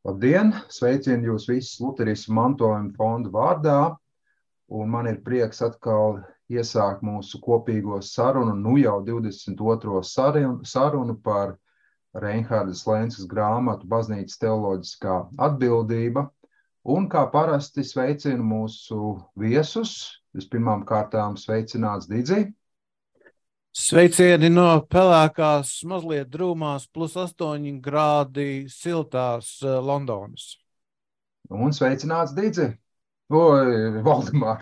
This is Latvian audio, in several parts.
Labdien! Sveicinu jūs visus Luterismu mantojuma fonda vārdā, un man ir prieks atkal iesākt mūsu kopīgo sarunu, nu jau 22. sarunu par Reinhardas Lenskas grāmatu Baznīcas teoloģiskā atbildība. Un kā parasti sveicinu mūsu viesus. Vispirmām kārtām sveicināts Didzi. Sveicieni no pelēkās, mazliet drūmās, +8 grādi siltās Londonas. Un sveicināts Didzi. Oi, Valdemār.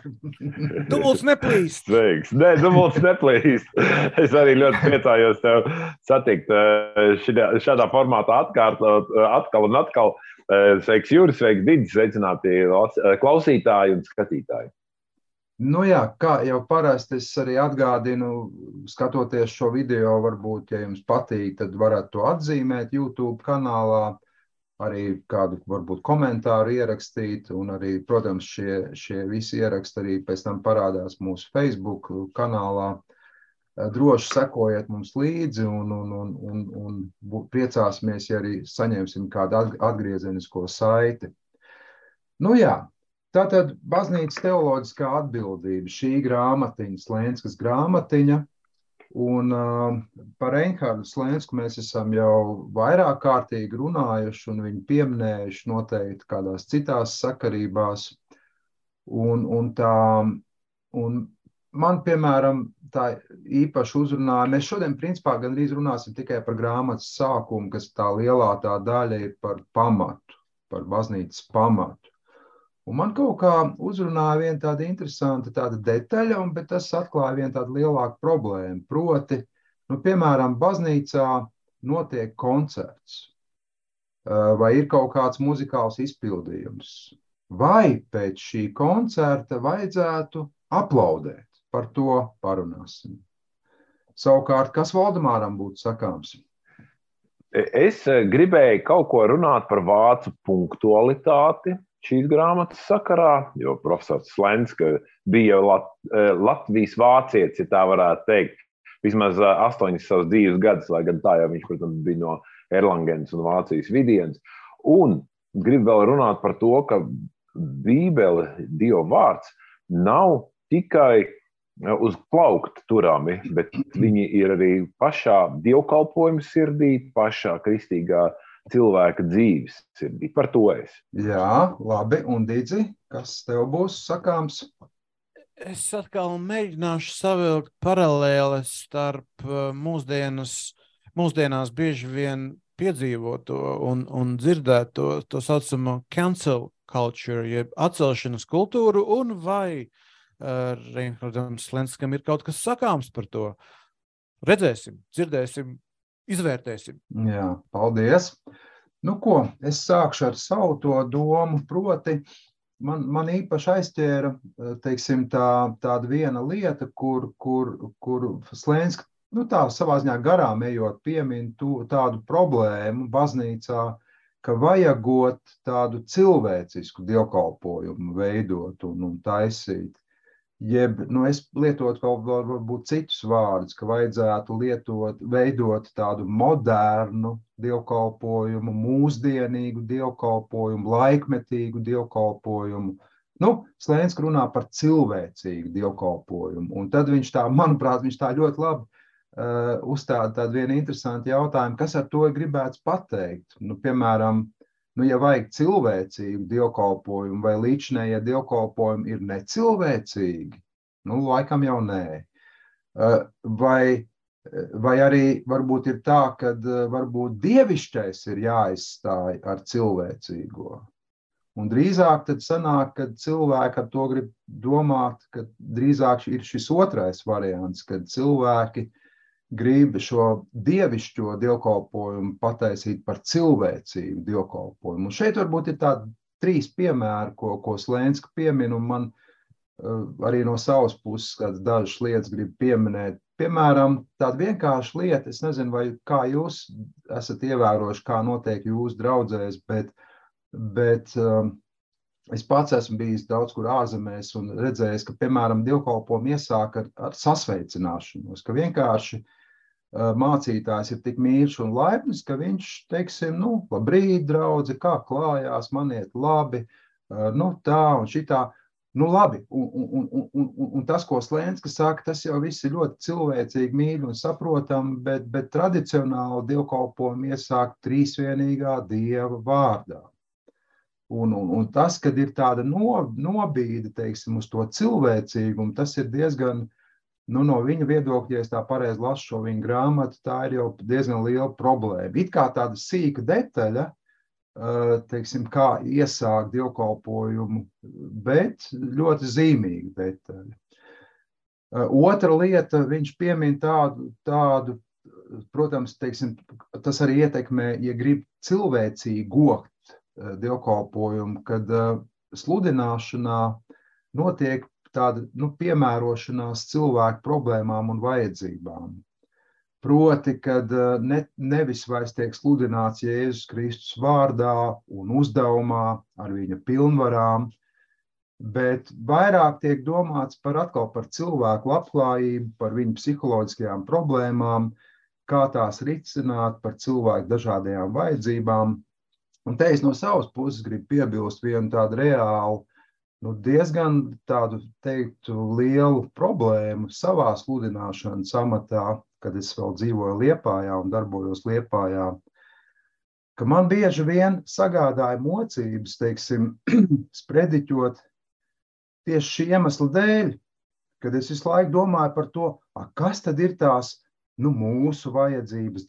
Dubults neplīst. Sveiks. Nē, dubults neplīst. Es arī ļoti priecājos tev satikt šādā formātā atkal un atkal. Sveiks Juris, sveiks Didzi, sveicināti klausītāji un skatītāji. Nu jā, kā jau parasti es arī atgādinu, skatoties šo video, varbūt, ja jums patīk, tad varat to atzīmēt YouTube kanālā, arī kādu varbūt komentāru ierakstīt, un arī, protams, šie visi ieraksti arī pēc tam parādās mūsu Facebook kanālā. Droši sekojiet mums līdzi un priecāsimies, ja arī saņemsim kādu atgriezenisko saiti. Nu jā. Tātad Baznīcas teoloģiskā atbildība, šī grāmatiņa, Lenskas grāmatiņa, un par Reinhardu Lensku mēs esam jau vairāk kārtīgi runājuši un viņu pieminējuši noteikti kādās citās sakarībās. Un man, piemēram, tā īpaši uzrunāja, mēs šodien principā gandrīz runāsim tikai par grāmatas sākumu, kas tā lielā tā daļa ir par pamatu, par baznīcas pamatu. Un man kaut kā uzrunāja viena tāda interesanta tāda detaļa, bet tas atklāja vienu tādu lielāku problēmu. Proti, piemēram, baznīcā notiek koncerts vai ir kaut kāds muzikāls izpildījums. Vai pēc šī koncerta vajadzētu aplaudēt? Par to parunāsim. Savukārt, kas Valdemāram būtu sakāms? Es gribēju kaut ko runāt par vācu punktualitāti šīs grāmatas sakarā, jo profesors Lenska bija Latvijas vācietis, ja tā varētu teikt, vismaz 8 savus dzīves gadus, lai gan tā jau viņš, protams, bija no Erlangens un Vācijas vidienas. Un gribu vēl runāt par to, ka Bībele, Dieva vārds, nav tikai uz plaukta turami, bet viņi ir arī pašā dievkalpojuma sirdī, pašā kristīgā cilvēka dzīves sirdī. Par to es. Jā, labi. Un Didzi, kas tev būs sakāms? Es atkal mēģināšu savilkt paralēles starp mūsdienās bieži vien piedzīvoto un dzirdēto to saucamo cancel culture, jeb atcelšanas kultūru, un vai Reinhardam Lenskam ir kaut kas sakāms par to. Redzēsim, dzirdēsim, izvērtēsim. Jā, paldies. Nu ko, es sākšu ar savu to domu, proti man īpaši aizķēra, teiksim, tāda viena lieta, kur Lenska, tā savā ziņā garām ejot piemin tādu problēmu baznīcā, ka vajagot tādu cilvēcisku dievkalpojumu veidot un taisīt. Jeb, es lietotu vēl varbūt citus vārdus, ka vajadzētu veidot tādu modernu dievkalpojumu, mūsdienīgu dievkalpojumu, laikmetīgu dievkalpojumu. Lenska runā par cilvēcīgu dievkalpojumu. Un tad viņš manuprāt, viņš tā ļoti labi uzstāda tādu vienu interesantu jautājumu, kas ar to gribēts pateikt. Piemēram, ja vajag cilvēcīgu dievkalpojumu vai līdzinējie dievkalpojumi ir necilvēcīgi, laikam jau nē. Vai arī varbūt ir tā, ka varbūt dievišķais ir jāizstāj ar cilvēcīgo. Un drīzāk tad sanāk, kad cilvēki ar to grib domāt, ka drīzāk ir šis otrais variants, kad cilvēki grib šo dievišķo dievkalpojumu pataisīt par cilvēcīgu dievkalpojumu. Un šeit varbūt ir tādi 3 piemēri, ko Lenska piemin, un man arī no savas puses kādas dažas lietas grib pieminēt. Piemēram, tāda vienkārša lieta, es nezinu, vai kā jūs esat ievērojuši, kā notiek jūsu draudzēs, bet es pats esmu bijis daudz kur ārzemēs un redzējis, ka, piemēram, dievkalpojumu iesāk ar sasveicināšanos, ka vienkārši mācītājs ir tik mīļš un laipns, ka viņš, teiksim, labrīt, draudzi, kā klājās, man iet labi, tā un šitā. Labi, un tas, ko Slenska saka, tas jau viss ir ļoti cilvēcīgi, mīļi un saprotam, bet tradicionāli dievkalpojumu iesāk trīsvienīgā Dieva vārdā. Un tas, kad ir tāda nobīde, teiksim, uz to cilvēcīgumu, tas ir diezgan, no viņa viedokļa, ja es tā pareizi lasu šo viņa grāmatu, tā ir jau diezgan liela problēma. It kā tāda sīka detaļa, teiksim, kā iesākt dievkalpojumu, bet ļoti zīmīga detaļa. Otra lieta, viņš piemin tādu, protams, teiksim, tas arī ietekmē, ja grib cilvēcīgi gokt dievkalpojumu, kad sludināšanā notiek tāda piemērošanās cilvēku problēmām un vajadzībām. Proti, kad nevis vairs tiek sludināts Jēzus Kristus vārdā un uzdevumā ar viņa pilnvarām, bet vairāk tiek domāts par cilvēku labklājību, par viņu psiholoģiskajām problēmām, kā tās risināt, par cilvēku dažādajām vajadzībām. Un te es no savas puses gribu piebilst vienu tādu reālu, diezgan tādu, teiktu, lielu problēmu savā sludināšanas amatā, kad es vēl dzīvoju Liepājā un darbojos Liepājā, ka man bieži vien sagādāja mocības, teiksim, sprediķot tieši šī iemesla dēļ, kad es visu laiku domāju par to, kas tad ir tās mūsu vajadzības,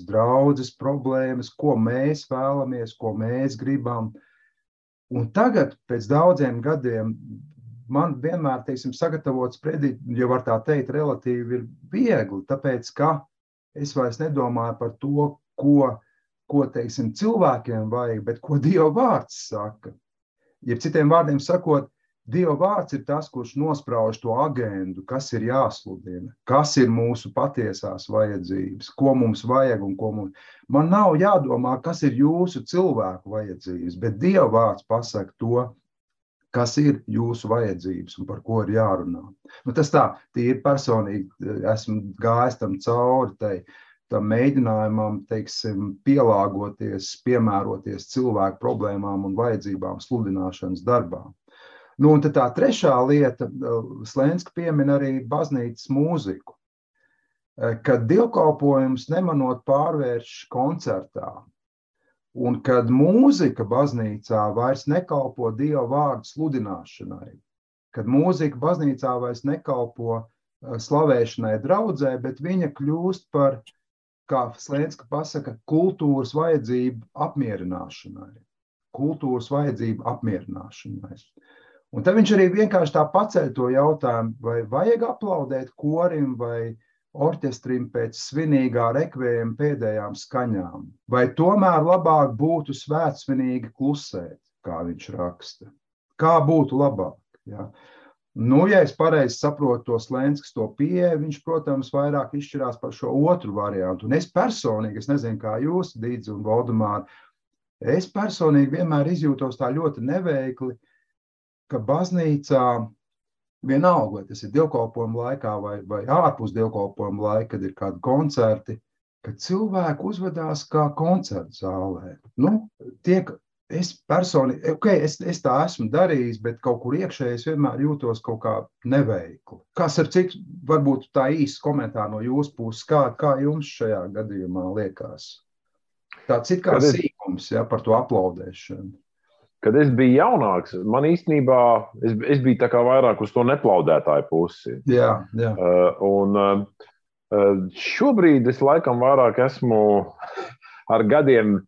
draudzes problēmas, ko mēs vēlamies, ko mēs gribam. Un tagad, pēc daudziem gadiem, man vienmēr, teiksim, sagatavot sprediķi, jo var tā teikt, relatīvi ir viegli, tāpēc, ka es vairs nedomāju par to, ko teiksim, cilvēkiem vajag, bet ko Dieva vārds saka. Ja citiem vārdiem sakot, Dieva vārds ir tas, kurš nosprauž to agendu, kas ir jāsludina, kas ir mūsu patiesās vajadzības, ko mums vajag un ko mums. Man nav jādomā, kas ir jūsu cilvēku vajadzības, bet Dieva vārds pasaka to, kas ir jūsu vajadzības un par ko ir jārunā. Tas tā, tīri personīgi esmu gājis tam cauri, tam mēģinājumam, teiksim, pielāgoties, piemēroties cilvēku problēmām un vajadzībām sludināšanas darbā. Un tad tā trešā lieta, Slenska piemin arī baznīcas mūziku, kad dievkalpojums nemanot pārvērš koncertā. Un kad mūzika baznīcā vairs nekalpo Dieva vārdu sludināšanai, kad mūzika baznīcā vairs nekalpo slavēšanai draudzē, bet viņa kļūst par, kā Slenska pasaka, kultūras vajadzību apmierināšanai. Un tad viņš arī vienkārši tā paceļ to jautājumu, vai vajag aplaudēt korim vai orķestrim pēc svinīgā rekvējuma pēdējām skaņām, vai tomēr labāk būtu svētsvinīgi klusēt, kā viņš raksta. Kā būtu labāk? Ja? Ja es pareizi saprotu to Slenskas to pieeju, viņš, protams, vairāk izšķirās par šo otru variantu. Un es personīgi, es nezinu, kā jūs, Dīdzi un Valdemāri, es personīgi vienmēr izjūtos tā ļoti neveikli, ka baznīcā vienalga, vai tas ir dievkalpojuma laikā vai ārpus dievkalpojuma laika, kad ir kādi koncerti, ka cilvēki uzvedās kā koncertu zālē. Es personīgi, es tā esmu darījis, bet kaut kur iekšēji es vienmēr jūtos kaut kā neveikli. Kas ar cik, varbūt tā īsts komentāri no jūsu puses, kā jums šajā gadījumā liekas? Tāds it kā sīkums, par to aplaudēšanu. Kad es biju jaunāks, man īstenībā, es biju tā kā vairāk uz to neplaudētāju pusi. Jā. Un šobrīd es laikam vairāk esmu ar gadiem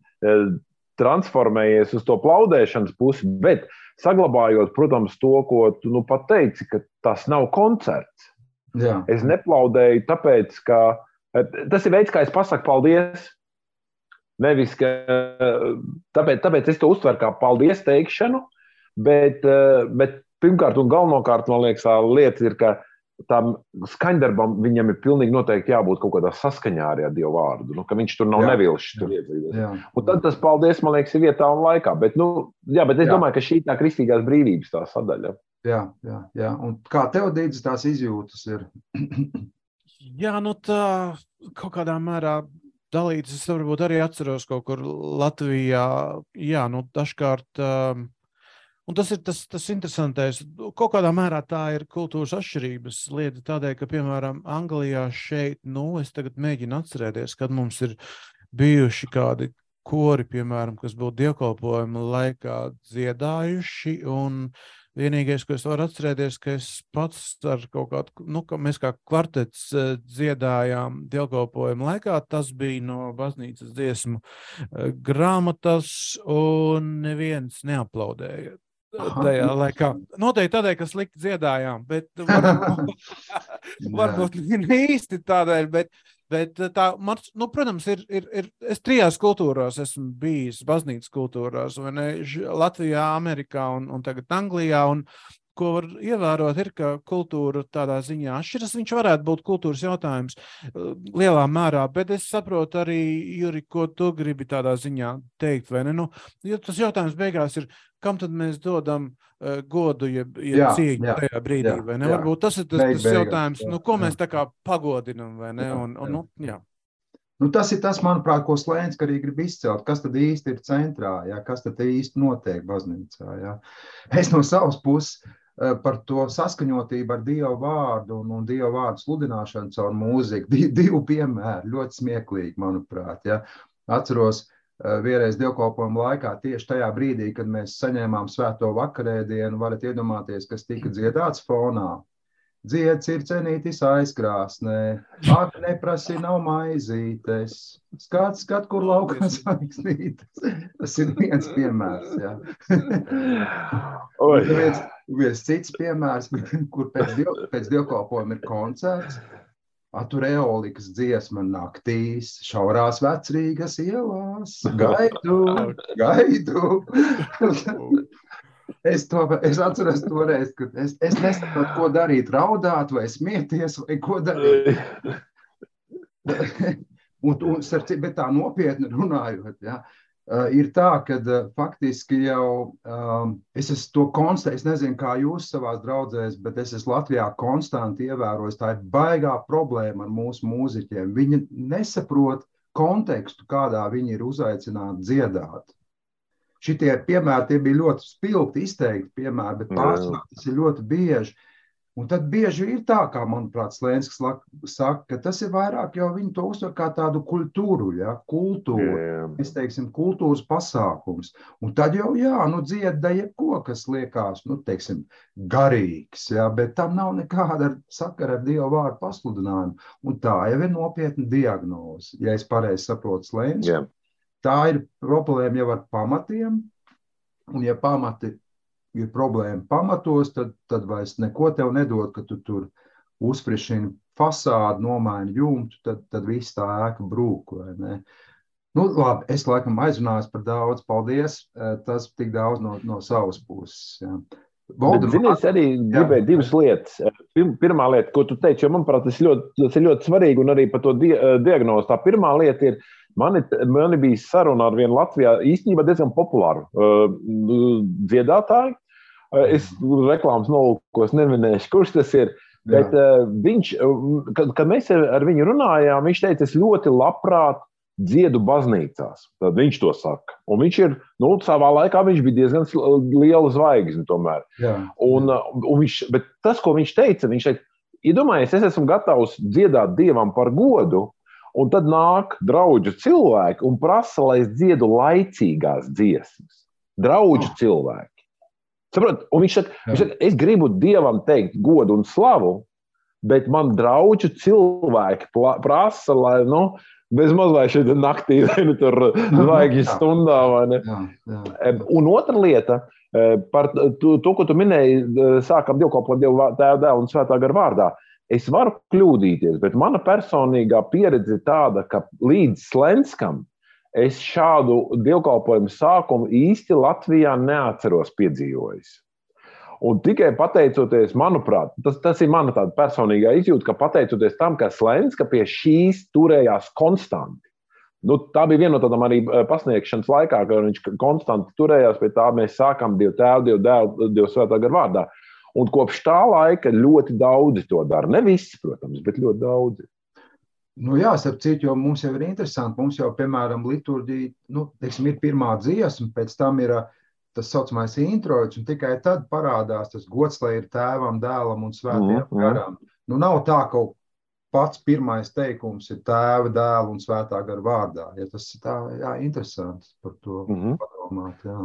transformējies uz to plaudēšanas pusi, bet saglabājot, protams, to, ko tu pat teici, ka tas nav koncerts. Jā. Es neplaudēju tāpēc, ka tas ir veids, kā es pasaku paldies. Nevis, ka tāpēc es to uztveru kā paldies teikšanu, bet pirmkārt un galvenokārt, man liekas, tā lieta ir, ka tam skaņdarbam viņam ir pilnīgi noteikti jābūt kaut kādā saskaņā arī ar Dievu vārdu, ka viņš tur nav nevilšs tur iedzīvies. Un tad tas paldies, man liekas, ir vietā un laikā, bet es domāju, ka šī tā kristīgās brīvības tā sadaļa. Jā. Un kā tev, Dīdzi, tās izjūtas ir? Jā, nu tā kaut kādā mērā dalītas. Es varbūt arī atceros kaut kur Latvijā. Jā, nu dažkārt, un tas ir tas interesantais. Kaut kādā mērā tā ir kultūras atšķirības lieta tādēļ, ka, piemēram, Anglijā šeit, es tagad mēģinu atcerēties, kad mums ir bijuši kādi kori, piemēram, kas būtu dievkalpojuma laikā dziedājuši, un vienīgais, ko es varu atcerēties, ka es pats ar kaut kādu, ka mēs kā kvartets dziedājām dievkalpojuma laikā, tas bija no baznīcas dziesmu grāmatas, un neviens neaplaudēja tajā laikā. Noteikti tādēļ, ka slikti dziedājām, bet varbūt ne īsti tādēļ, bet tā, protams, es 3 kultūrās esmu bijis, baznīcas kultūrās, vai ne, Latvijā, Amerikā un tagad Anglijā, un ko var ievērot, ir, ka kultūra tādā ziņā atšķiras. Viņš varētu būt kultūras jautājums lielā mērā, bet es saprotu arī, Juri, ko tu gribi tādā ziņā teikt, vai ne? Jo tas jautājums beigās ir, kam tad mēs dodam godu, ja cieņu tajā brīdī, vai ne? Varbūt tas ir tas jautājums, ko mēs tā kā pagodinam, vai ne? Jā. Tas ir tas, manuprāt, ko Slēnska arī grib izcelt. Kas tad īsti ir centrā? Ja? Kas tad īsti notiek baznīcā? Ja? Es no savas puses par to saskaņotību ar Dievu vārdu un Dievu vārdu sludināšanu caur mūziku. 2 piemēri, ļoti smieklīgi, manuprāt. Ja? Atceros, vienreiz dievkalpojuma laikā, tieši tajā brīdī, kad mēs saņēmām svēto vakarēdienu, varat iedomāties, kas tika dziedāts fonā. Dzied circenītis aizkrāsnē, ak neprasi nav maizītes, skat, kur laukās aiksnītes. Tas ir viens piemērs, jā. Viens cits piemērs, kur pēc dievkalpojuma ir koncerts, tur eolikas dziesma naktīs, šaurās Vecrīgas ielās, gaidu. Es atceros toreiz, ka es nesaprotu, ko darīt, raudāt vai smieties, vai ko darīt. Bet tā nopietni runājot, ja, ir tā, ka faktiski jau es esmu to konstatējis, es nezinu, kā jūs savās draudzēs, bet es esmu Latvijā konstanti ievērojis, tā ir baigā problēma ar mūsu mūziķiem. Viņi nesaprot kontekstu, kādā viņi ir uzaicināti dziedāt. Šitie piemēri, tie bija ļoti spilgti izteikti piemēri, bet pārsvarā tas ir ļoti bieži. Un tad bieži ir tā, kā, manuprāt, Slēnsks saka, ka tas ir vairāk jau viņi to uztver kā tādu kultūru, ja, es teiksim, kultūras pasākums. Un tad jau, dzieda jebko, kas liekas, teiksim, garīgs, ja, bet tam nav nekāda sakara ar Dievu vārdu pasludinājumu. Un tā jau ir nopietna diagnoze, ja es pareizi saprotu Slēnsku. Yeah. Tā ir problēma jau ar pamatiem, un ja pamati ir problēma pamatos, tad vairs neko tev nedod, ka tu tur uzfrišini fasādu, nomaini jumtu, tad viss tā ēka brūk, vai ne? Labi, es laikam aizrunājos par daudz, paldies, tas tik daudz no savas puses. Ja. Es arī gribēju 2 lietas. Pirmā lieta, ko tu teici, jo manuprāt, tas ir ļoti svarīgi, un arī par to diagnozi. Tā pirmā lieta ir, mani bija saruna ar vienu Latvijā īstenībā diezgan populāru dziedātāju. Es reklāmas nolūkos neminēšu, kurš tas ir, bet viņš, kad mēs ar viņu runājām, viņš teica, es ļoti labprāt dziedu baznīcās. Tad viņš to saka. Un viņš ir, savā laikā viņš bija diezgan liela zvaigzne tomēr. Bet tas, ko viņš teica, iedomājies, es esmu gatavs dziedāt Dievam par godu, un tad nāk draudžu cilvēki un prasa, lai es dziedu laicīgās dziesmas. Draudžu cilvēki. Saprot? Un viņš saka, es gribu Dievam teikt godu un slavu, bet man draudžu cilvēki prasa, lai, bezmaz vai šeit naktī, vai tur zvaigžņu stundā, vai ne? Un otra lieta, par to, ko tu minēji, sākam dievkalpot Dievu Tēva, Dēla un Svētā gara vārdā. Es varu kļūdīties, bet mana personīgā pieredze ir tāda, ka līdz Slēnskam es šādu dievkalpojumu sākumu īsti Latvijā neatceros piedzīvojis. Un tikai pateicoties, manuprāt, tas ir mana tāda personīgā izjūta, ka pateicoties tam, ka Slēnska pie šīs turējās konstanti. Tā bija viena no tādām arī pasniegšanas laikā, ka viņš konstanti turējās pie tā, mēs sākam Dievu Tēvu, Dievu Dēlu, Dievu Svētā gara vārdā. Un kopš tā laika ļoti daudzi to dara. Ne visi, protams, bet ļoti daudzi. Nu jā, starp citu, jo mums jau ir interesanti, mums jau, piemēram, liturģija, teiksim, ir pirmā dziesma, pēc tam ir tas saucamais introits, un tikai tad parādās tas gods, lai ir tēvam, dēlam un svētajam garam. Nu nav tā, ka pats pirmais teikums ir tēva, dēla un svētā gara vārdā. Ja tas ir tā, jā, interesanti par to padomāt, jā.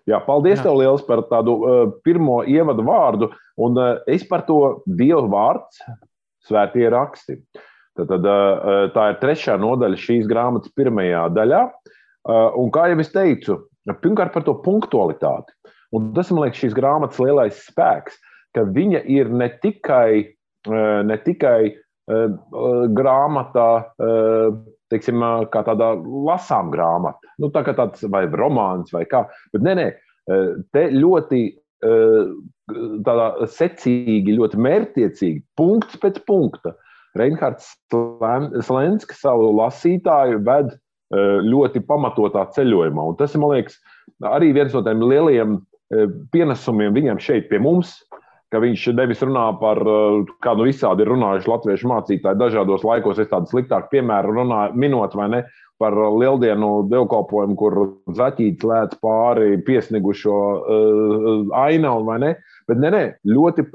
Jā, paldies tev liels par tādu pirmo ievadu vārdu, un es par to Dieva vārds, svētie raksti. Tad, tā ir 3. nodaļa šīs grāmatas 1. daļā, un kā jau es teicu, pirmkārt par to punktualitāti, un tas, man liekas, šīs grāmatas lielais spēks, ka viņa ir ne tikai grāmata, teiksim, kā tāda lasām grāmata, nu tā kā tāds vai romāns vai kā, bet nē, te ļoti tādā secīgi, ļoti mērķtiecīgi, punkts pēc punkta. Reinhards Slenskis savu lasītāju ved ļoti pamatotā ceļojumā, un tas ir, man liekas, arī viens no tiem lielajiem pienesumiem viņam šeit pie mums, ka viņš nevis runā par, kā nu visādi ir runājuši latviešu mācītāji dažādos laikos, es tādu sliktāku piemēru runāju, minot vai ne, par lieldienu dievkalpojumu, kur zaķītis lēc pāri piesnigušo ainavu, vai ne, bet nē, ļoti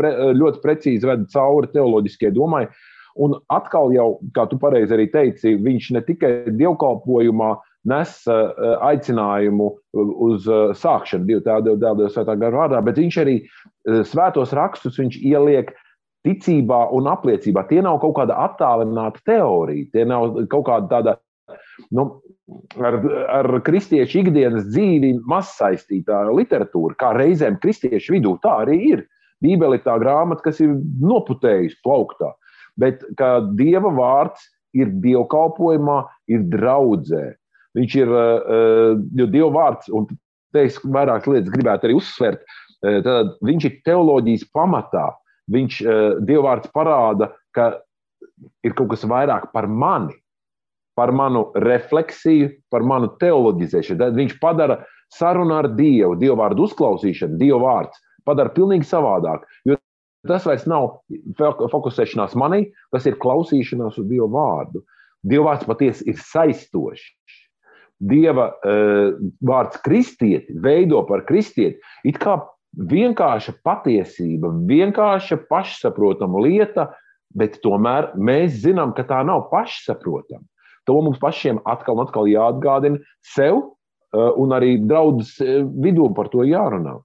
precīzi ved cauri teoloģiskie domai, un atkal jau, kā tu pareizi arī teici, viņš ne tikai dievkalpojumā nes aicinājumu uz sākšanu Dieva Tēva, Dēla, Svētā gara vārdā, bet viņš arī svētos rakstus viņš ieliek ticībā un apliecībā. Tie nav kaut kāda attālināta teorija, tie nav kaut kāda tāda, ar kristiešu ikdienas dzīvi mazsaistītā literatūra, kā reizēm kristiešu vidū, tā arī ir. Bībele ir tā grāmata, kas ir noputējusi plauktā. Bet kā Dieva vārds ir dievkalpojumā, ir draudzē. Viņš ir, jo Dieva vārds, un te es vairākas lietas gribētu arī uzsvert, tad viņš ir teoloģijas pamatā. Dieva vārds parāda, ka ir kaut kas vairāk par mani, par manu refleksiju, par manu teoloģizēšanu. Tad viņš padara sarunu ar Dievu, Dieva vārdu uzklausīšanu, Dieva vārds padara pilnīgi savādāk, jo tas vairs nav fokusēšanās manī, tas ir klausīšanās uz Dieva vārdu. Dieva vārds patiesi ir saistošs. Dieva vārds kristieti veido par kristieti, it kā vienkārša patiesība, vienkārša pašsaprotama lieta, bet tomēr mēs zinām, ka tā nav pašsaprotama. To mums pašiem atkal un atkal jāatgādina sev un arī draudzes vidū par to jārunā.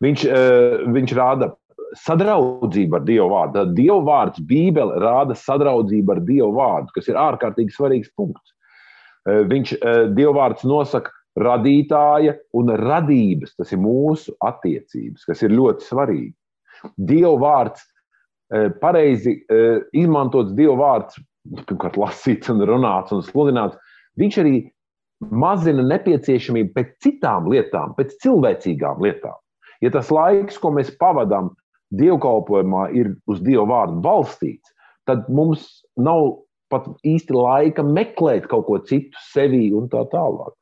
Viņš rāda sadraudzību ar Dieva vārdu. Dieva vārds Bībele rāda sadraudzību ar Dieva vārdu, kas ir ārkārtīgi svarīgs punkts. Dieva vārds nosaka radītāja un radības, tas ir mūsu attiecības, kas ir ļoti svarīgi. Dieva vārds, pareizi izmantots Dieva vārds, pirmkārt lasīts un runāts un sludināts, viņš arī mazina nepieciešamību pēc citām lietām, pēc cilvēcīgām lietām. Ja tas laiks, ko mēs pavadām dievkalpojumā, ir uz Dieva vārdu balstīts, tad mums nav pat īsti laika meklēt kaut ko citu sevī un tā tālāk.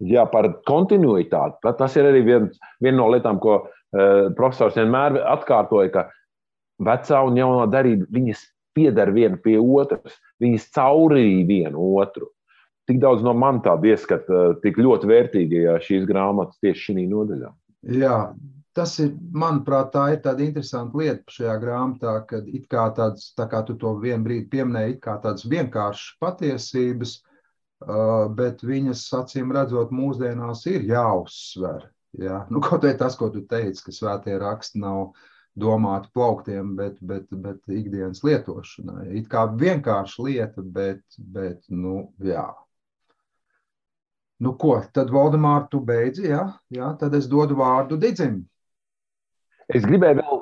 Jā, par kontinuitāti. Tas ir arī viena no lietām, ko profesors vienmēr atkārtoja, ka vecā un jaunā darība, viņas pieder viena pie otras, viņas caurīja vienu otru. Tik daudz no man tāda ieskata, tik ļoti vērtīgajā šīs grāmatas tieši šī nodaļā. Jā, tas ir, manuprāt, tā ir tāda interesanta lieta šajā grāmatā, kad it kā tāds, tā kā tu to vienu brīdi pieminēji, it kā tāds vienkāršs patiesības, bet viņas, acīm redzot, mūsdienās ir jāuzsver. Jā? Nu, kaut vai tas, ko tu teici, ka svētie raksti nav domāti plauktiem, bet ikdienas lietošanai. It kā vienkārša lieta, bet nu, jā. Nu ko, tad Valdemār, tu beidzi, jā? Jā, tad es dodu vārdu Didzim. Es gribēju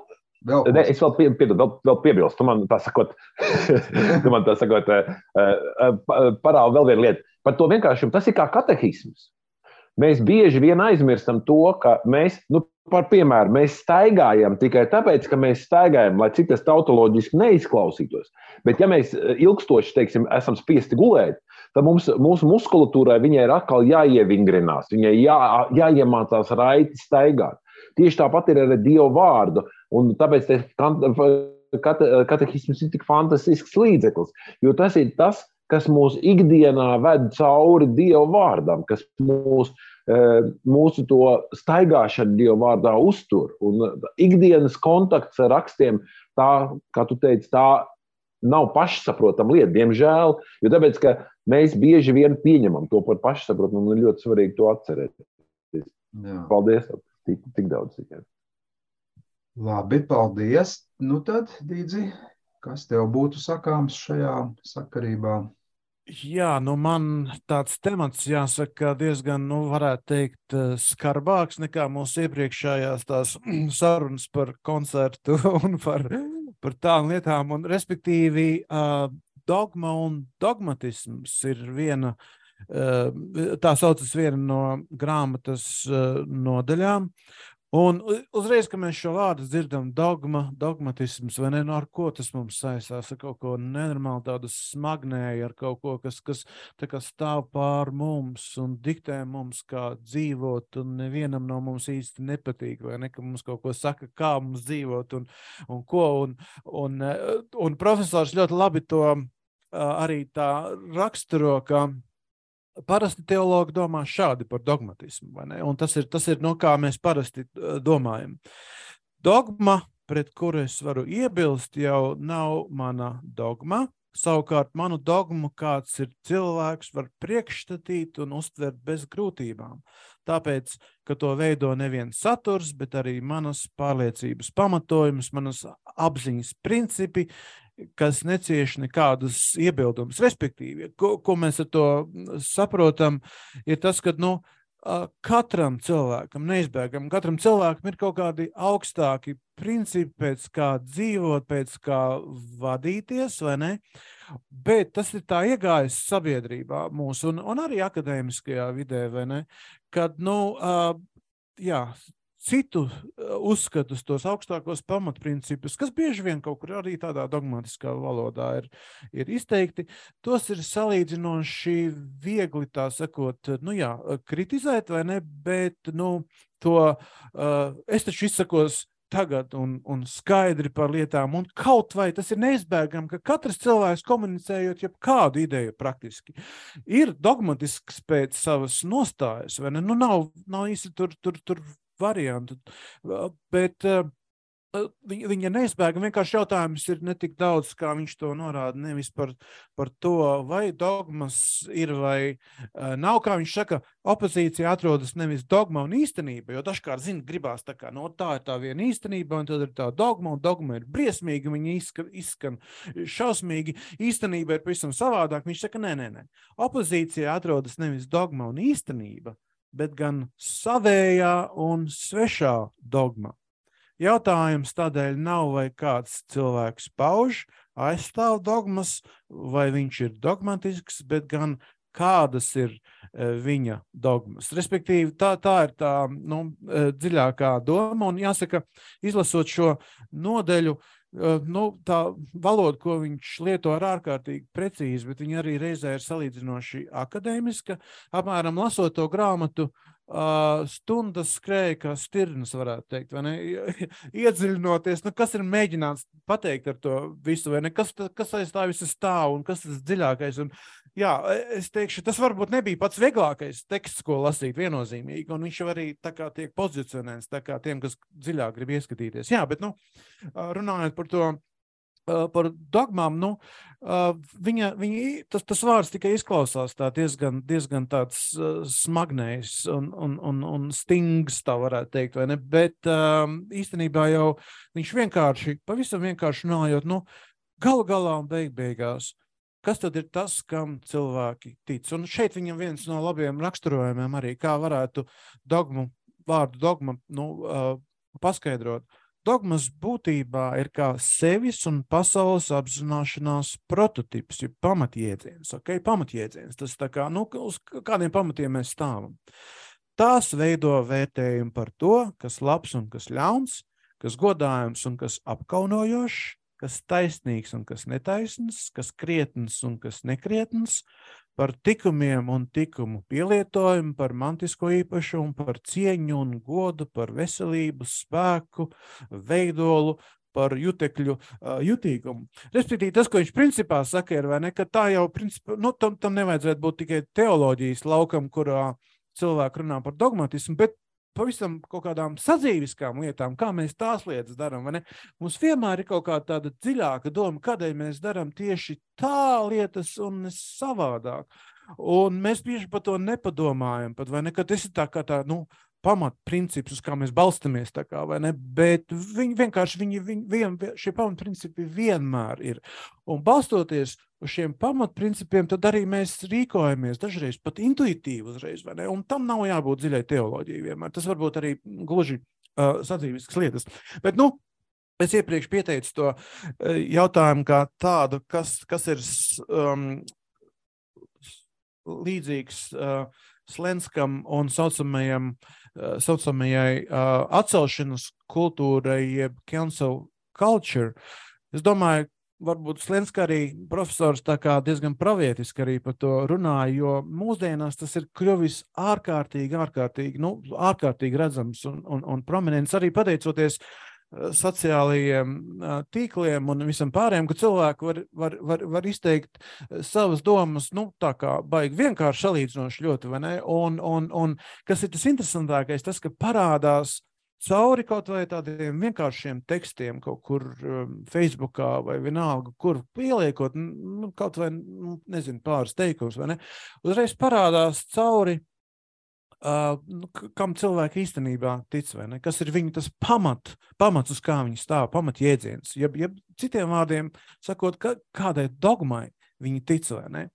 es vēl piebilstu, tu man tā sakot, parāda vēl vienu lietu. Par to vienkāršumu, tas ir kā katehisms. Mēs bieži vien aizmirstam to, ka mēs, par piemēru, mēs staigājam tikai tāpēc, ka mēs staigājam, lai cik tas tautoloģiski neizklausītos. Bet ja mēs ilgstoši, teiksim, esam spiesti gulēt, tad mūsu muskulatūrai viņai ir atkal jāievingrinās, viņai jāiemācās raiti staigāt. Tieši tāpat ir ar Dieva vārdu, un tāpēc katehisms ir tik fantastisks līdzeklis, jo tas ir tas, kas mūs ikdienā ved cauri Dieva vārdam, kas mūsu to staigāšanu Dieva vārdā uztur. Un ikdienas kontakts ar rakstiem, tā, kā tu teici, tā nav pašsaprotama lieta, diemžēl, jo tāpēc, ka mēs bieži vien pieņemam to par pašsaprotamu, un ir ļoti svarīgi to atcerēt. Jā. Paldies, tik daudz tikai. Labi, paldies. Nu tad, Dīdzi, kas tev būtu sakāms šajā sakarībā? Jā, man tāds temats, jāsaka, diezgan, varētu teikt, skarbāks nekā mūsu iepriekšējās tās sarunas par koncertu un par tām lietām. Un, respektīvi, dogma un dogmatisms ir viena, tā saucas viena no grāmatas nodaļām. Un uzreiz, kad mēs šo vārdu dzirdam, dogma, dogmatisms, vai ne, ar ko tas mums saistās, ar kaut ko nenormāli tādu smagnēju, ar kaut ko, kas tā kā stāv pār mums un diktē mums, kā dzīvot, un nevienam no mums īsti nepatīk, vai ne, ka mums kaut ko saka, kā mums dzīvot un ko, un profesors ļoti labi to arī tā raksturo, ka parasti teologi domā šādi par dogmatismu, vai ne? Un tas ir no kā mēs parasti domājam. Dogma, pret kuru es varu iebilst, jau nav mana dogma. Savukārt manu dogmu kāds ir cilvēks var priekšstatīt un uztvert bez grūtībām. Tāpēc, ka to veido nevien saturs, bet arī manas pārliecības pamatojums, manas apziņas principi, kas necieš nekādus iebildumus. Respektīvi, ko mēs ar to saprotam, ir tas, ka katram cilvēkam, neizbēgam, katram cilvēkam ir kaut kādi augstāki principi, pēc kā dzīvot, pēc kā vadīties, vai ne? Bet tas ir tā iegājis sabiedrībā mūsu un arī akadēmiskajā vidē, vai ne? Kad, citu uzskatus, tos augstākos pamatprincipus, kas bieži vien kaut kur arī tādā dogmatiskā valodā ir izteikti, tos ir salīdzinoši viegli, tā sakot, kritizēt, vai ne, bet, to es taču izsakos tagad un skaidri par lietām, un kaut vai tas ir neizbēgam, ka katrs cilvēks komunicējot jebkādu ideju praktiski ir dogmatisks pēc savas nostājas, vai ne, nav īsti tur variantu, bet viņa neizbēgam, vienkārši jautājums ir ne tik daudz, kā viņš to norāda, nevis par to, vai dogmas ir vai nav, kā viņš saka, opozīcija atrodas nevis dogma un īstenība, jo dažkārt, gribās tā kā, tā ir tā viena īstenība, un tad ir tā dogma, un dogma ir briesmīga, viņa izskan šausmīgi, īstenība ir pavisam savādāk, viņš saka, nē, opozīcija atrodas nevis dogma un īstenība, bet gan savējā un svešā dogma. Jautājums tādēļ nav, vai kāds cilvēks pauž, aizstāv dogmas, vai viņš ir dogmatisks, bet gan kādas ir viņa dogmas. Respektīvi, tā ir tā dziļākā doma, un jāsaka, izlasot šo nodeļu, tā valoda, ko viņš lieto ar ārkārtīgi precīzi, bet viņa arī reizē ir salīdzinoši akadēmiska. Apmēram lasot to grāmatu, stundas skrēja kā stirnas, varētu teikt, vai ne? Iedziļinoties, kas ir mēģināts pateikt ar to visu, vai ne? Kas aiz tā visa stāv un kas tas dziļākais. Un, es teikšu, tas varbūt nebija pats vieglākais teksts, ko lasīt viennozīmīgi, un viņš arī tā kā tiek pozicionēts, tā kā tiem, kas dziļāk grib ieskatīties. Jā, bet, runājot par to, par dogmām, tas vārds tikai izklausās tā diezgan tāds smagnējs un stings, tā varētu teikt, vai ne? Bet īstenībā jau viņš pavisam vienkārši runājot, galu galā un beigās, kas tad ir tas, kam cilvēki tic? Un šeit viņam viens no labiem raksturojumiem arī, kā varētu vārdu dogma paskaidrot. Dogmas būtībā ir kā sevis un pasaules apzināšanās prototips, ja pamatjēdziens, pamatjēdziens, tas tā kā, uz kādiem pamatiem mēs stāvam. Tās veido vērtējumu par to, kas labs un kas ļauns, kas godājums un kas apkaunojošs, kas taisnīgs un kas netaisns, kas krietns un kas nekrietns, par tikumiem un tikumu pielietojumu, par mantisko īpašumu, par cieņu un godu, par veselību, spēku, veidolu, par jutekļu jutīgumu. Respektīvi, tas, ko viņš principā saka, ir, vai ne, ka tā jau, principā, nu, tam nevajadzētu būt tikai teoloģijas laukam, kurā cilvēki runā par dogmatismu, bet pavisam kaut kādām sadzīviskām lietām, kā mēs tās lietas darām, vai ne? Mums vienmēr ir kaut kāda tāda dziļāka doma, kādēļ mēs darām tieši tā lietas un savādāk. Un mēs bieži par to nepadomājam, pat, vai ne, ka tas ir tā kā tā, nu, pamatprincips, uz kā mēs balstamies, tā kā, vai ne, bet šie pamatprincipi vienmēr ir. Un balstoties uz šiem pamatprincipiem, tad arī mēs rīkojamies dažreiz pat intuitīvi uzreiz, vai ne, un tam nav jābūt dziļai teoloģijai vienmēr. Tas varbūt arī gluži sadzīviskas lietas. Bet, nu, es iepriekš pieteicu to jautājumu kā tādu, kas ir līdzīgs Slenskam un saucamajai atcelšanas kultūrai, jeb cancel culture. Es domāju, varbūt Slenska arī profesors tā kā diezgan pravietiski arī par to runāja, jo mūsdienās tas ir kļuvis ārkārtīgi redzams un prominents arī pateicoties sociālajiem tīkliem un visam pārējiem, ka cilvēki var izteikt savas domas, nu, tā kā baigi vienkārši salīdzinoši ļoti, vai ne? Un kas ir tas interesantākais, tas, ka parādās cauri kaut vai tādiem vienkāršiem tekstiem kaut kur Facebookā vai vienalga, kur pieliekot, nu, kaut vai, nezinu, pāris teikums, vai ne? Uzreiz parādās cauri kam cilvēki īstenībā tic, vai ne? Kas ir viņu tas pamats, uz kā viņi stāv, pamatjēdziens. Jeb citiem vārdiem sakot, kādai dogmai viņi tic, vai ne?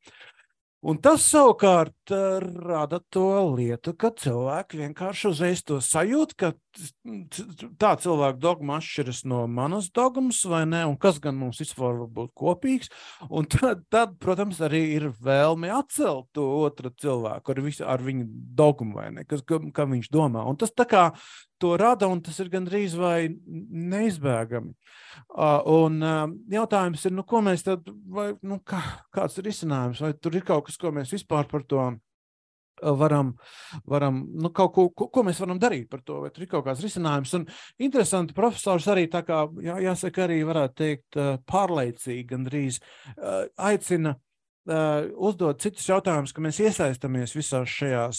Un tas savukārt rada to lietu, ka cilvēki vienkārši uzreiz to sajūt, ka tā cilvēka dogma atšķiras no manas dogmas, vai ne, un kas gan mums vispār var būt kopīgs, un tad, protams, arī ir vēlme atcelt to otru cilvēku ar viņu dogmu, vai ne, kā viņš domā. Un tas tā kā to rada, un tas ir gandrīz vai neizbēgami. Un jautājums ir, nu, ko mēs tad, vai, nu, kāds ir risinājums, vai tur ir kaut kas, ko mēs vispār par to varam nu, kaut ko mēs varam darīt par to, vai tur ir kaut kāds risinājums. Un interesanti, profesors arī tā kā, jāsaka, arī varētu teikt pārlaicīgi gandrīz aicina uzdot citus jautājumus, ka mēs iesaistamies visās šajās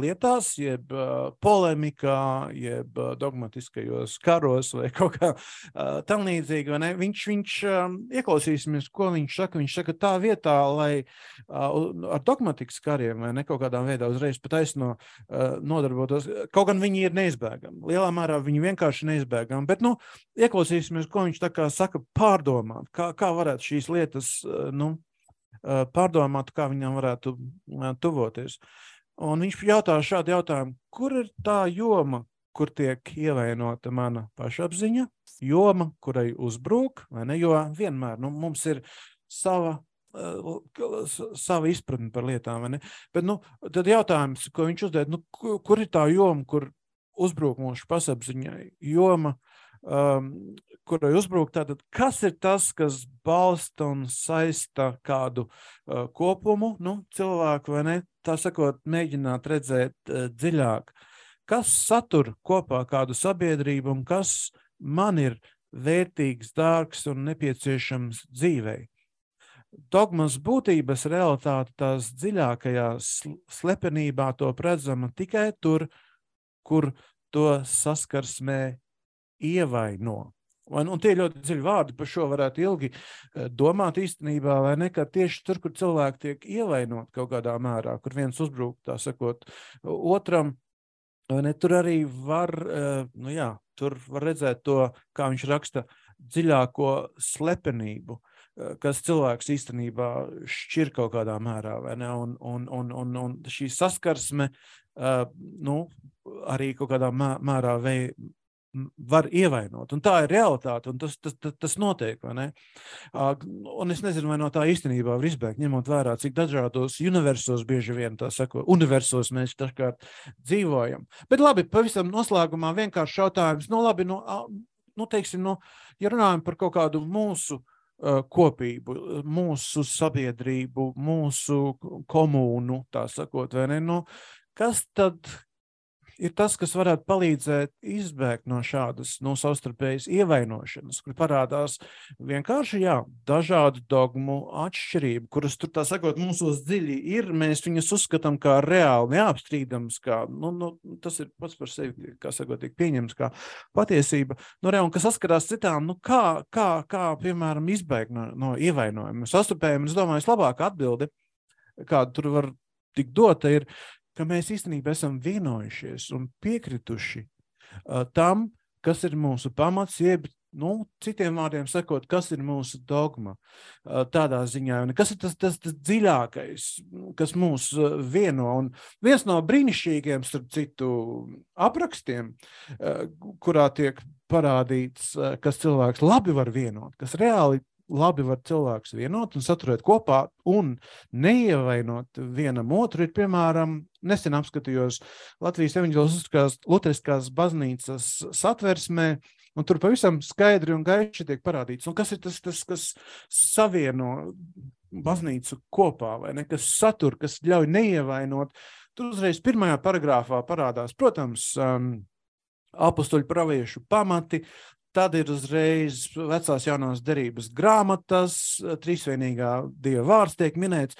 lietās, jeb polemikā, jeb dogmatiskajos karos vai kaut kā tam līdzīgi, vai ne? Viņš ieklausīsimies, ko viņš saka. Viņš saka tā vietā, lai ar dogmatikas kariem vai ne kaut kādā veidā uzreiz pataisno nodarbotos. Kaut gan viņi ir neizbēgami. Lielā mērā viņi vienkārši neizbēgami, bet, nu, ieklausīsimies, ko viņš tā kā saka pārdomāt, kā varētu šīs lietas, nu, pārdomāt, kā viņam varētu tuvoties. Un viņš jautā šādu jautājumu, kur ir tā joma, kur tiek ievainota mana pašapziņa, joma, kurai uzbrūk, vai ne, jo vienmēr, nu, mums ir sava izpratne par lietām, vai ne, bet, nu, tad jautājums, ko viņš uzdod, nu, kur ir tā joma, kur uzbrūk mūsu pašapziņai, joma, kurai uzbrūk, tātad, kas ir tas, kas balsta un saista kādu kopumu, nu, cilvēku, vai ne, tā sakot, mēģināt redzēt dziļāk, kas satur kopā kādu sabiedrību un kas man ir vērtīgs, dārgs un nepieciešams dzīvei. Dogmas būtības realitāte tās dziļākajā slepenībā to redzama tikai tur, kur to saskarsmē ievaino. Un tie ļoti dziļi vārdi, par šo varētu ilgi domāt īstenībā, vai ne, ka tieši tur, kur cilvēki tiek ievainot kaut kādā mērā, kur viens uzbrūk, tā sakot, otram, vai ne, tur arī var, nu jā, tur var redzēt to, kā viņš raksta, dziļāko slepenību, kas cilvēks īstenībā šķir kaut kādā mērā, vai ne, un šī saskarsme, nu, arī kaut kādā mērā var ievainot, un tā ir realitāte, un tas notiek, vai ne? Un es nezinu, vai no tā īstenībā var izbēgt, ņemot vērā, cik dažādos universos bieži vien, tā sako, universos mēs dažkārt dzīvojam. Bet labi, pavisam noslēgumā vienkārši jautājums, nu labi, nu teiksim, nu, ja runājam par kaut kādu mūsu kopību, mūsu sabiedrību, mūsu komūnu, tā sakot, vai ne, nu, kas tad ir tas, kas varētu palīdzēt izbēgt no šādas savstarpējas ievainošanas, kur parādās vienkārši, dažādu dogmu atšķirību, kuras tur, tā sakot, mūsos dziļi ir, mēs viņus uzskatām kā reāli neapstrīdams, kā, tas ir pats par sevi, kā sakot, tiek pieņems kā patiesība, un kas saskarās citām, kā piemēram, izbēgt no ievainojuma. Sastapējumi, es domāju, labāka atbilde, kāda tur var tik dota, ir, ka mēs īstenībā esam vienojušies un piekrituši tam, kas ir mūsu pamats, jeb, citiem vārdiem sakot, kas ir mūsu dogma tādā ziņā, un kas ir tas dziļākais, kas mūs vieno. Un viens no brīnišķīgiem, starp citu, aprakstiem, kurā tiek parādīts, kas cilvēks labi var vienot, kas reāli labi var cilvēks vienot un saturēt kopā un neievainot vienam otru, ir, piemēram, nesen apskatījos Latvijas evaņģeliskās luteriskās baznīcas satversmē, un tur pavisam skaidri un gaiši tiek parādīts. Un kas ir tas kas savieno baznīcu kopā, vai ne? Kas satur, kas ļauj neievainot. Tur uzreiz pirmajā paragrāfā parādās, protams, apostoļu praviešu pamati, tad ir uzreiz vecās jaunās derības grāmatas, trīsvienīgā Dieva vārds tiek minēts.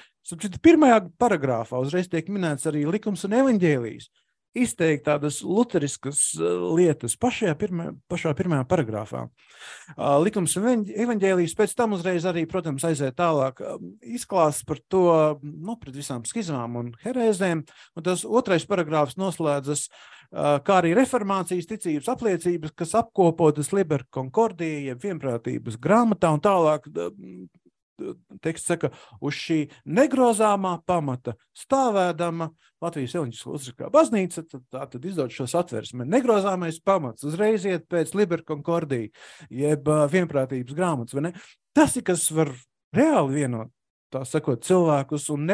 Pirmajā paragrāfā uzreiz tiek minēts arī likums un evaņģēlijs. Izteikt tādas luteriskas lietas pašā pirmajā paragrāfā. Likums un evaņģēlijs pēc tam uzreiz arī, protams, aiziet tālāk izklāsts par to, pret visām skizmām un herēzēm. Un tas otrais paragrāfs noslēdzas, kā arī reformācijas ticības apliecības, kas apkopotas Liber Concordie, jeb vienprātības grāmatā, un tālāk teksts saka, uz šī negrozāmā pamata stāvēdama Latvijas evaņģeliskā luteriskā baznīca, tad izdod šo satversmi. Negrozāmais pamats uzreiz iet pēc Liber Concordie, jeb vienprātības grāmatas, vai ne? Tas ir, kas var reāli vienot, tā sakot, cilvēkus un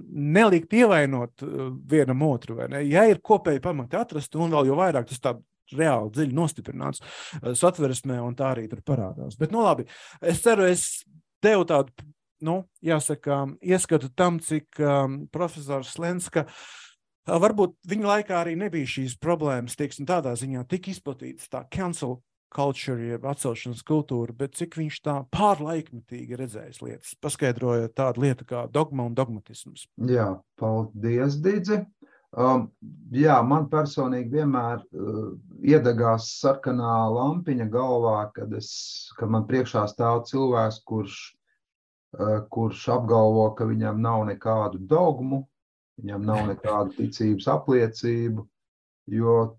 nelikt ievainot vienam otru, vai ne? Ja ir kopēji pamati atrast, un vēl jo vairāk tas tā reāli dziļi nostiprināts satversmē, un tā arī tur parādās. Bet, labi, es ceru, es devu tādu, jāsaka, ieskatu tam, cik profesors Slenska, varbūt viņa laikā arī nebija šīs problēmas, teiksim, tādā ziņā tik izplatītas tā cancel culture, jeb atcelšanas kultūra, bet cik viņš tā pārlaikmetīgi redzējis lietas, paskaidroja tādu lietu kā dogma un dogmatisms. Jā, paldies, Didzi. Man personīgi vienmēr iedegās sarkanā lampiņa galvā, kad man priekšā stāv cilvēks, kurš apgalvo, ka viņam nav nekādu dogmu, viņam nav nekādu ticības apliecību, jo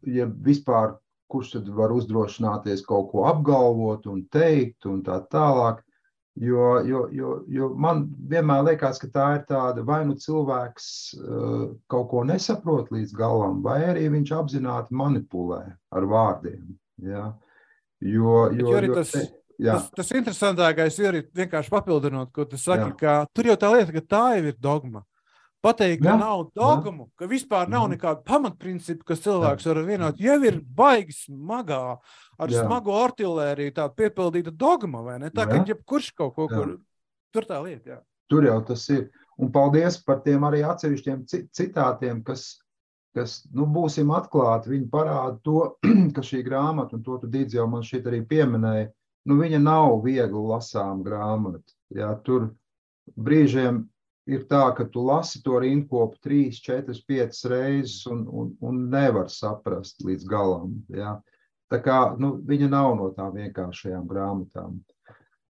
ja vispār kurš tad var uzdrošināties kaut ko apgalvot un teikt un tā tālāk, jo man vienmēr liekas, ka tā ir tāda, vai cilvēks kaut ko nesaprot līdz galam, vai arī viņš apzināti manipulē ar vārdiem. Ja? Tas interesantākais ir vienkārši papildinot, ko tu saki, ka tur jau tā lieta, ka tā jau ir dogma. Pateikt, ka nav dogmu, ka vispār nav nekāda pamatprincipa, kas cilvēks var vienot, jau ir baigi smagā, ar smagu artilēriju tāda piepildīta dogma, vai ne? Tā, ka jebkurš kaut ko, tur tā lieta, Tur jau tas ir. Un paldies par tiem arī atsevišķiem citātiem, kas būsim atklāti, viņi parāda to, ka šī grāmata, un to tu Dīdz jau man šeit arī pieminēja, viņa nav viegli lasām grāmata. Ja, tur brīžiem ir tā, ka tu lasi to rindkopu 3, 4, 5 reizes un nevar saprast līdz galam. Ja? Tā kā viņa nav no tām vienkāršajām grāmatām.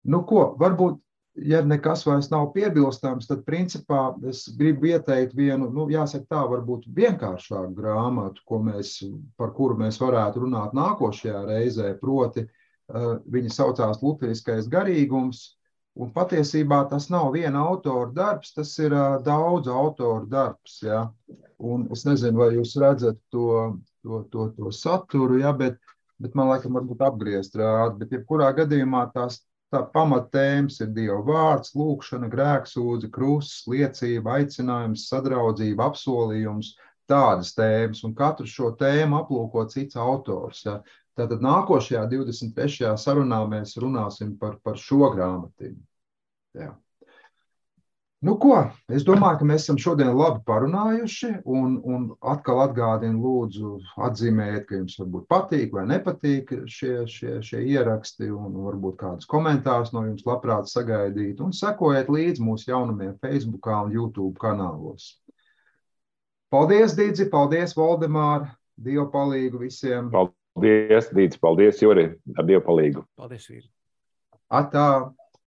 Varbūt, ja nekas vairs nav piebilstams, tad principā es gribu ieteikt vienu, jāsaka tā, varbūt vienkāršāku grāmatu, par kuru mēs varētu runāt nākošajā reizē, proti viņa saucās Luteriskais garīgums. Un patiesībā tas nav viena autora darbs, tas ir daudz autoru darbs. Ja? Un es nezinu, vai jūs redzat to saturu, ja? Bet man laikam varbūt apgriezt rāda. Bet jebkurā gadījumā tā pamattēmas ir Dieva vārds, lūkšana, grēksūdze, krusts, liecība, aicinājums, sadraudzība, apsolījums, tādas tēmas. Un katru šo tēmu aplūko cits autors. Ja? Tātad nākošajā 23. sarunā mēs runāsim par šo grāmatiņu. Jā. Nu ko, es domāju, ka mēs esam šodien labi parunājuši un atkal atgādinu, lūdzu, atzīmējiet, ka jums varbūt patīk vai nepatīk šie ieraksti un varbūt kādus komentārus no jums labprāt sagaidīt un sekojiet līdzi mūsu jaunumiem Facebookā un YouTube kanālos. Paldies, Didzi, paldies, Voldemār, Dievu palīgu visiem. Paldies, Dīdz, paldies, Juri, ar Dievu palīgu. Paldies, Vīri. Atā.